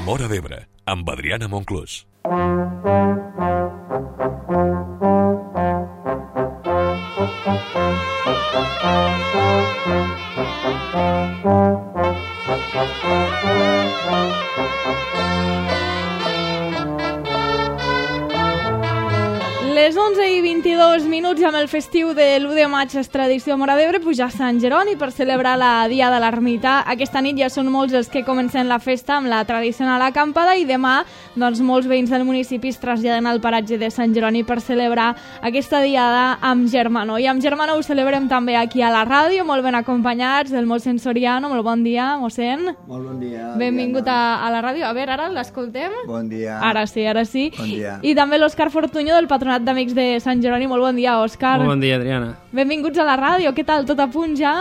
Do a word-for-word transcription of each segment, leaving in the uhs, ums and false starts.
Móra d'Ebre, amb Adriana Monclús. Les onze i vint-i-dos minuts amb el festiu de l'u de maig és tradició a Móra d'Ebre pujar a Sant Jeroni per celebrar la Dia de l'Ermita. Aquesta nit ja són molts els que comencen la festa amb la tradicional acampada i demà doncs, molts veïns del municipi es traslladen al paratge de Sant Jeroni per celebrar aquesta diada amb Germano. I amb Germano ho celebrem també aquí a la ràdio, molt ben acompanyats del mossèn Soriano. Molt bon dia, mossèn. Molt bon dia. Benvingut a, a la ràdio. A veure, ara l'escoltem? Bon dia. Ara sí, ara sí. Bon dia. I també l'Òscar Fortuño del Patronat d'Amics de Sant Jeroni. Molt bon dia, Òscar. Molt bon dia, Adriana. Benvinguts a la ràdio. Què tal? Tot a punt ja?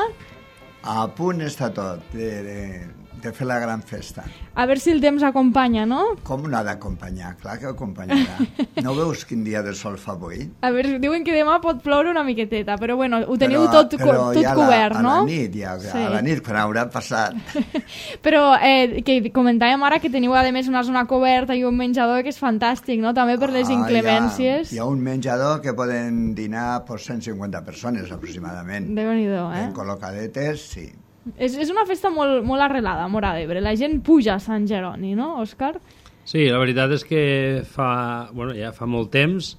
A punt està tot de, de, de fer la gran festa. A veure si el temps acompanya, no? Com no ha d'acompanyar? Clar que acompanyarà. No veus quin dia de sol fa avui? A veure, diuen que demà pot ploure una miqueteta, però bueno, ho teniu però, tot, però tot ja cobert, la, no? A la nit, ja, sí. A la nit, quan haurà passat. Però eh, que comentàvem ara que teniu a més una zona coberta i un menjador que és fantàstic, no? També per les ah, inclemències. Hi ha, hi ha un menjador que poden dinar per cent cinquanta persones aproximadament. Déu-n'hi-do, eh? Ben col·locadetes, sí. És, és una festa molt, molt arrelada a Móra d'Ebre. La gent puja a Sant Jeroni, no, Òscar? Sí, la veritat és que fa, bueno, ja fa molt temps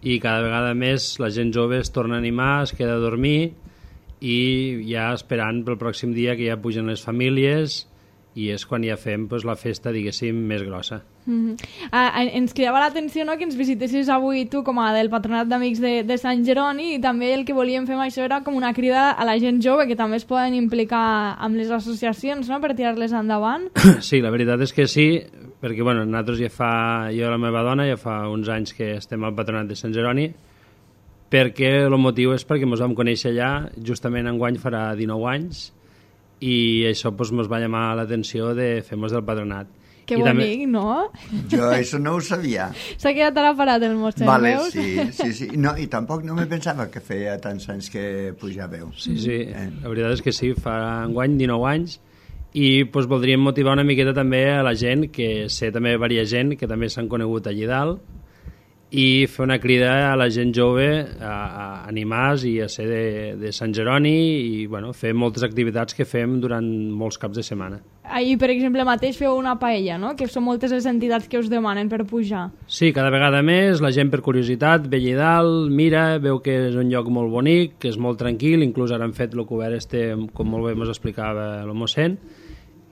i cada vegada més la gent jove es torna a animar, es queda a dormir i ja esperant pel pròxim dia que ja pugen les famílies i és quan ja fem pues, la festa, diguéssim, més grossa. Mm-hmm. ah, ens cridava l'atenció no, que ens visitessis avui tu com a del Patronat d'Amics de, de Sant Jeroni i també el que volíem fer amb això era com una crida a la gent jove que també es poden implicar amb les associacions no, per tirar-les endavant. Sí, la veritat és que sí, perquè bueno, nosaltres ja fa, jo i la meva dona ja fa uns anys que estem al Patronat de Sant Jeroni perquè el motiu és perquè ens vam conèixer allà, justament enguany farà dinou anys i això pues, ens va llamar l'atenció de fer-nos del patronat. Que I bonic, també... no? Jo això no ho sabia. S'ha quedat ara parat el mossèn, vale, veus? sí, sí, sí. No, i tampoc no me pensava que feia tants anys que pujàveu. Sí, sí, eh. La veritat és que sí, fa enguany dinou anys i pues, voldríem motivar una miqueta també a la gent, que sé també varia gent que també s'han conegut allí dalt, i fer una crida a la gent jove a, a animar-se i a ser de, de Sant Jeroni i bueno, fer moltes activitats que fem durant molts caps de setmana. Ahir, per exemple, mateix feu una paella, no? Que són moltes les entitats que us demanen per pujar. Sí, cada vegada més, la gent per curiositat ve allà dalt, mira, veu que és un lloc molt bonic, que és molt tranquil, inclús ara han fet el cobert este, com molt bé ens explicava el mossèn,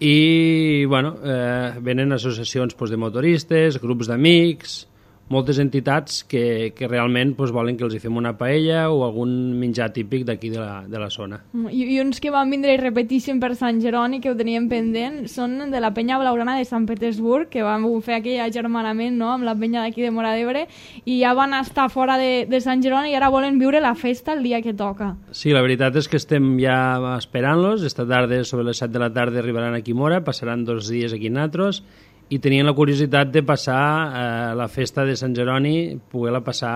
i bueno, eh, venen associacions pues, de motoristes, grups d'amics, moltes entitats que, que realment pues, volen que els hi fem una paella o algun menjar típic d'aquí de, la, de la zona. I, I uns que van vindre i repetissin per Sant Jeroni, que ho teníem pendent, són de la penya blaugrana de Sant Petersburg, que van fer aquell agermanament no? Amb la penya d'aquí de Móra d'Ebre, i ja van estar fora de, de Sant Jeroni i ara volen viure la festa el dia que toca. Sí, la veritat és que estem ja esperant-los. Esta tarda, sobre les set de la tarda, arribaran aquí a Móra, passaran dos dies aquí nosaltres, i tenien la curiositat de passar eh, la festa de Sant Jeroni, poder-la passar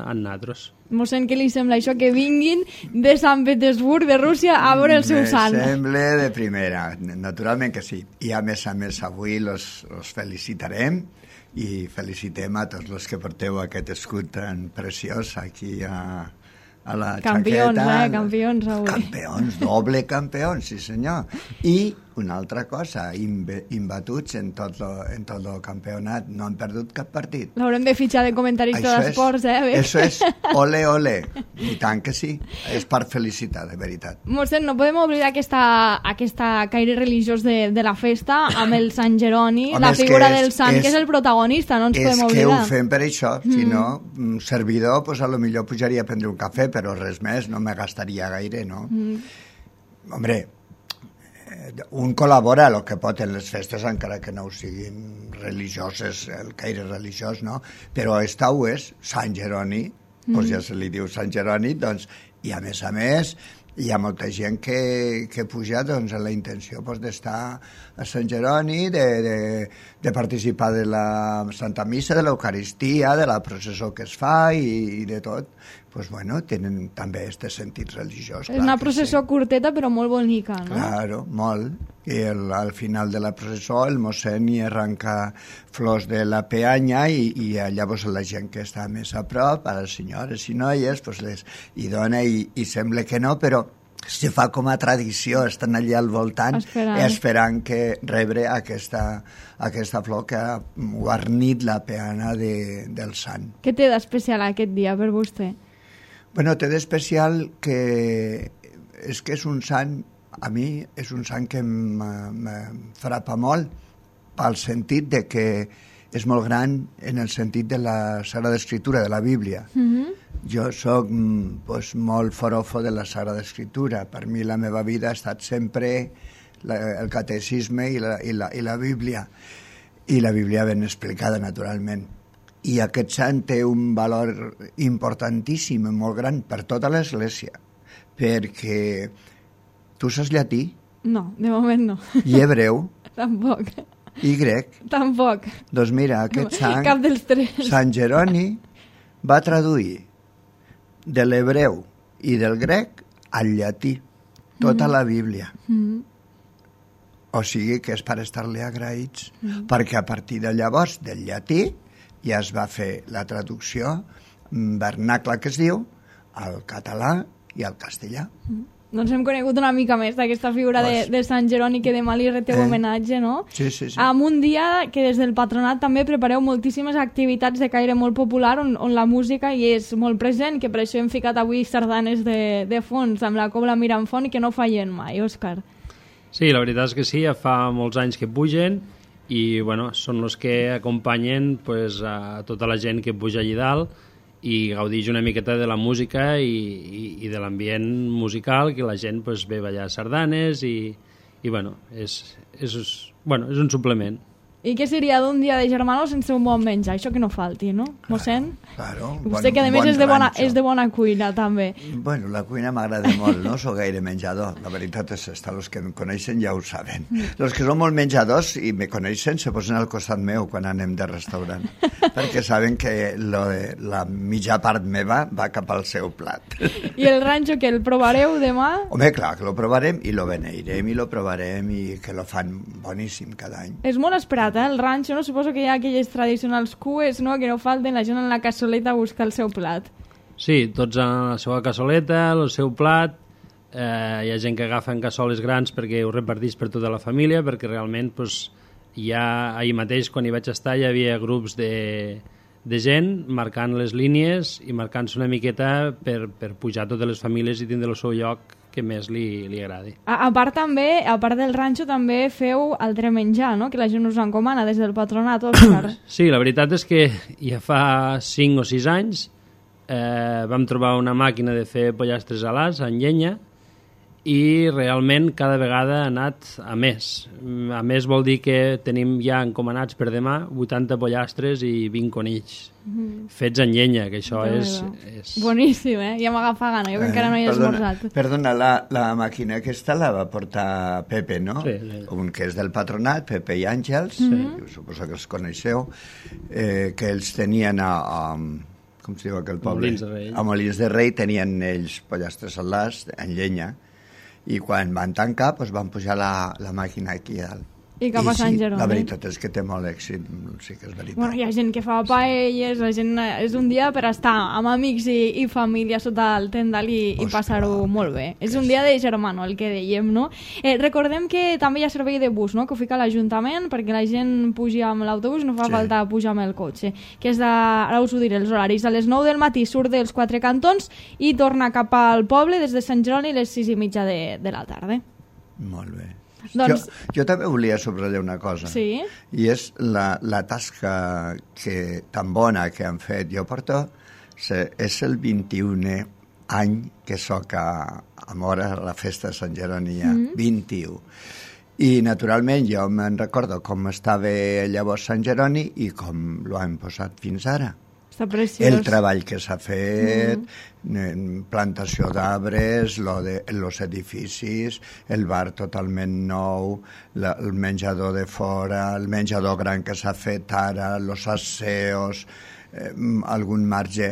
amb nosaltres. Mossèn, què li sembla això? Que vinguin de Sant Petersburg, de Rússia, a veure el seu sant. Me sembla de primera, naturalment que sí. I a més a més avui los, los felicitarem i felicitem a tots els que porteu aquest escut tan preciós aquí a, a la campions, xaqueta. Eh? Campions, avui. Campions, doble campions, sí senyor. I una altra cosa, imbatuts en tot lo, en tot el campionat, no han perdut cap partit. L'haurem de fitxar de comentarista d'esports, eh? Això és ole, ole. I tant que sí. És per felicitar, de veritat. Mossèn, no podem oblidar aquesta, aquesta caire religiós de, de la festa amb el Sant Jeroni, Home, la figura és, del sant, és, que és el protagonista, no ens podem oblidar. És que ho fem per això, mm. si no, un servidor, pues, a lo millor pujaria a prendre un cafè, però res més, no me gastaria gaire, no? Mm. Hombre, un col·labora el que pot en les festes, encara que no ho siguin religioses, el caire religiós, no? Però esta ho és, Sant Jeroni, mm. doncs ja se li diu Sant Jeroni, doncs, i a més a més hi ha molta gent que, que puja doncs, amb la intenció doncs, d'estar a Sant Jeroni, de, de, de participar de la Santa Missa, de l'Eucaristia, de la processó que es fa i, i de tot. pues, bueno, tenen també aquest sentit religiós. És una processó sí. curteta però molt bonica, no? Claro, molt. I el, al final de la processó el mossèn hi arranca flors de la peanya i, i llavors la gent que està més a prop, a les senyores i noies, pues les hi dona i, i sembla que no, però se fa com a tradició, estan allà al voltant esperant, esperant que rebre aquesta, aquesta flor que ha guarnit la peana de, del sant. Què té d'especial aquest dia per vostè? Bueno, té d'especial que és que és un sant, a mi és un sant que me frapa molt pel sentit de que és molt gran en el sentit de la Sagrada Escritura, de la Bíblia. Mm-hmm. Jo soc pues, molt forofo de la Sagrada Escritura. Per mi la meva vida ha estat sempre la, el catecisme i la, i, la, i la Bíblia. I la Bíblia ben explicada, naturalment. I aquest sant té un valor importantíssim, molt gran, per tota l'Església. Perquè tu saps llatí? No, de moment no. I hebreu? Tampoc. I grec? Tampoc. Doncs mira, aquest sant, cap dels tres. Sant Jeroni, va traduir de l'hebreu i del grec al llatí tota mm. la Bíblia. Mm. O sigui que és per estar-li agraïts, mm. perquè a partir de llavors del llatí ja es va fer la traducció vernacla que es diu al català i al castellà. Mm. Doncs hem conegut una mica més d'aquesta figura pues, de, de Sant Jeroni que demà li reteu eh? homenatge, no? Sí, sí, sí. Amb un dia que des del patronat també prepareu moltíssimes activitats de caire molt popular on, on la música hi és molt present, que per això hem ficat avui sardanes de, de fons amb la Cobla Miramfont i que no fallen mai, Òscar. Sí, la veritat és que sí, ja fa molts anys que pugen i bueno, són els que acompanyen pues, a tota la gent que puja allà dalt i gaudix una miqueta de la música i, i, i de l'ambient musical, que la gent pues, ve a ballar sardanes i, i bueno, és, és, bueno, és un suplement. I què seria d'un dia de germano sense un bon menjar? Això que no falti, no, mossèn? Claro, claro. Vostè bon, que a més bon és, de bona, és de bona cuina, també. Bueno, la cuina m'agrada molt, no sóc gaire menjador. La veritat és esta, els que em coneixen ja ho saben. Mm. Els que són molt menjadors i me coneixen se posen al costat meu quan anem de restaurant, perquè saben que lo de, la mitja part meva va cap al seu plat. I el ranxo, que el provareu demà? Home, clar, que lo provarem i lo beneirem i lo provarem i que lo fan boníssim cada any. És molt esperat. El ranxo, no? Suposo que hi ha aquelles tradicionals cues, no?, que no falten, la gent en la cassoleta a buscar el seu plat. Sí, tots en la seva cassoleta, el seu plat, eh, hi ha gent que agafen cassoles grans perquè ho reparteix per tota la família, perquè realment pues, ja ahir mateix, quan hi vaig estar, hi havia grups de, de gent marcant les línies i marcant-se una miqueta per, per pujar totes les famílies i tindre el seu lloc que més li, li agradi. A, a part també, a part del ranxo, també feu altre menjar, no?, que la gent us encomana des del patronat, Òscar. Sí, la veritat és que ja fa cinc o sis anys eh, vam trobar una màquina de fer pollastres alats en llenya i realment cada vegada ha anat a més. A més vol dir que tenim ja encomanats per demà vuitanta pollastres i vint conills mm. fets en llenya, que això és, és... Boníssim, eh? Ja m'agafa gana, jo que eh, encara no hi he perdona, esmorzat. Perdona, la, la màquina aquesta la va portar Pepe, no? Sí, sí. Un que és del patronat, Pepe i Àngels, sí. Suposo que els coneixeu, eh, que ells tenien a... a com es diu aquell poble? Molins de Rei. A Molins de Rei tenien ells pollastres alats en llenya, i quan van tancar doncs van pujar la, la màquina aquí dalt. I cap a Sant Jeroni. La veritat és que té molt èxit, sí que és veritat. Bueno, hi ha gent que fa paelles, la gent, és un dia per estar amb amics i, i família sota el tendal i, i passar-ho molt bé. És un dia de germano, el que dèiem, no? Eh, recordem que també hi ha servei de bus, no?, que ho fica l'Ajuntament perquè la gent pugi amb l'autobús, no fa sí. falta pujar amb el cotxe. Que és de, ara us ho diré, els horaris. A les nou del matí surt dels Quatre Cantons i torna cap al poble des de Sant Jeroni a les sis i mitja de, de la tarda. Molt bé. Doncs... Jo, jo també volia subratllar una cosa, sí? I és la, la tasca que, tan bona que han fet. Jo porto, se, és el vint-i-unè any que soc a, a Móra, a la festa de Sant Jeroni, ja, mm-hmm. vint-i-u. I naturalment jo me'n recordo com estava llavors Sant Jeroni i com lo han posat fins ara. Està preciós. El treball que s'ha fet, mm. plantació d'arbres, lo de, los edificis, el bar totalment nou, la, el menjador de fora, el menjador gran que s'ha fet ara, los asseos, eh, algun marge.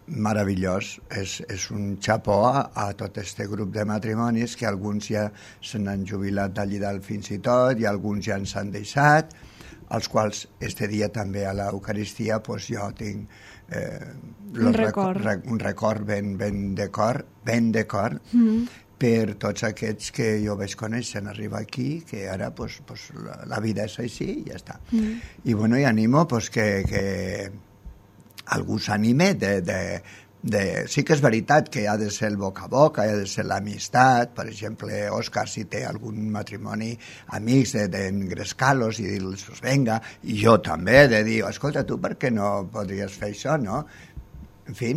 meravellós. És, és un xapó a, a tot este grup de matrimonis, que alguns ja se n'han jubilat d'allí dalt fins i tot, i alguns ja ens han deixat, als quals este dia també a l'Eucaristia pues, jo tinc eh, un record, rec un record ben, ben de cor, ben de cor, mm. per tots aquests que jo vaig conèixer en arribar aquí, que ara pues, pues, la, la vida és així i ja està. Mm. I bueno, i animo pues, que, que algú s'anime de, de, de... Sí que és veritat que ha de ser el boca a boca, ha de ser l'amistat. Per exemple, Òscar, si té algun matrimoni, amics d'engrescar-los i dir-los, pues venga, i jo també, de dir, escolta, tu per què no podries fer això, no? En fi,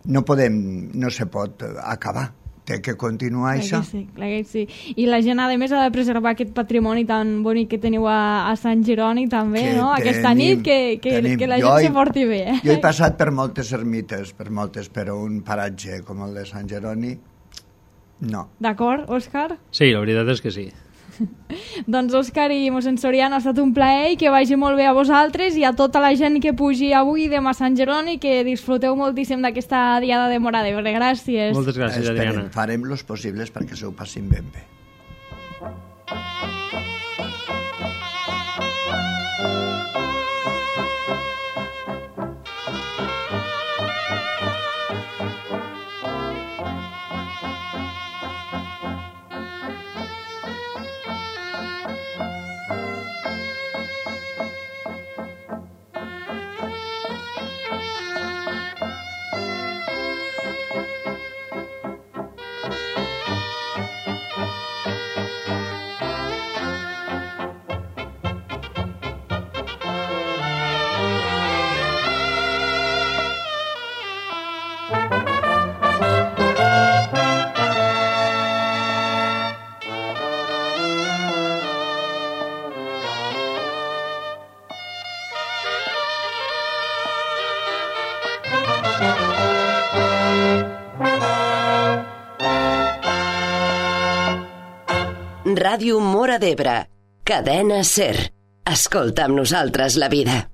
no podem, no se pot acabar. Té que continuar clar això. Que sí, clar que sí. I la gent, a més, ha de preservar aquest patrimoni tan bonic que teniu a, a Sant Jeroni, també, que no? Tenim, aquesta nit, que, que, que la gent se porti bé. Eh? Jo he passat per moltes ermites, per moltes, però un paratge com el de Sant Jeroni, no. D'acord, Òscar? Sí, la veritat és que sí. Doncs Òscar i mossèn Soriano, ha estat un plaer i que vagi molt bé a vosaltres i a tota la gent que pugi avui i demà a Sant Jeroni, que disfruteu moltíssim d'aquesta diada de Móra d'Ebre. Gràcies. Moltes gràcies, Adriana. Esperem, farem los possibles perquè s'ho passin ben bé. Ràdio Móra d'Ebre, cadena SER. Escolta amb nosaltres la vida.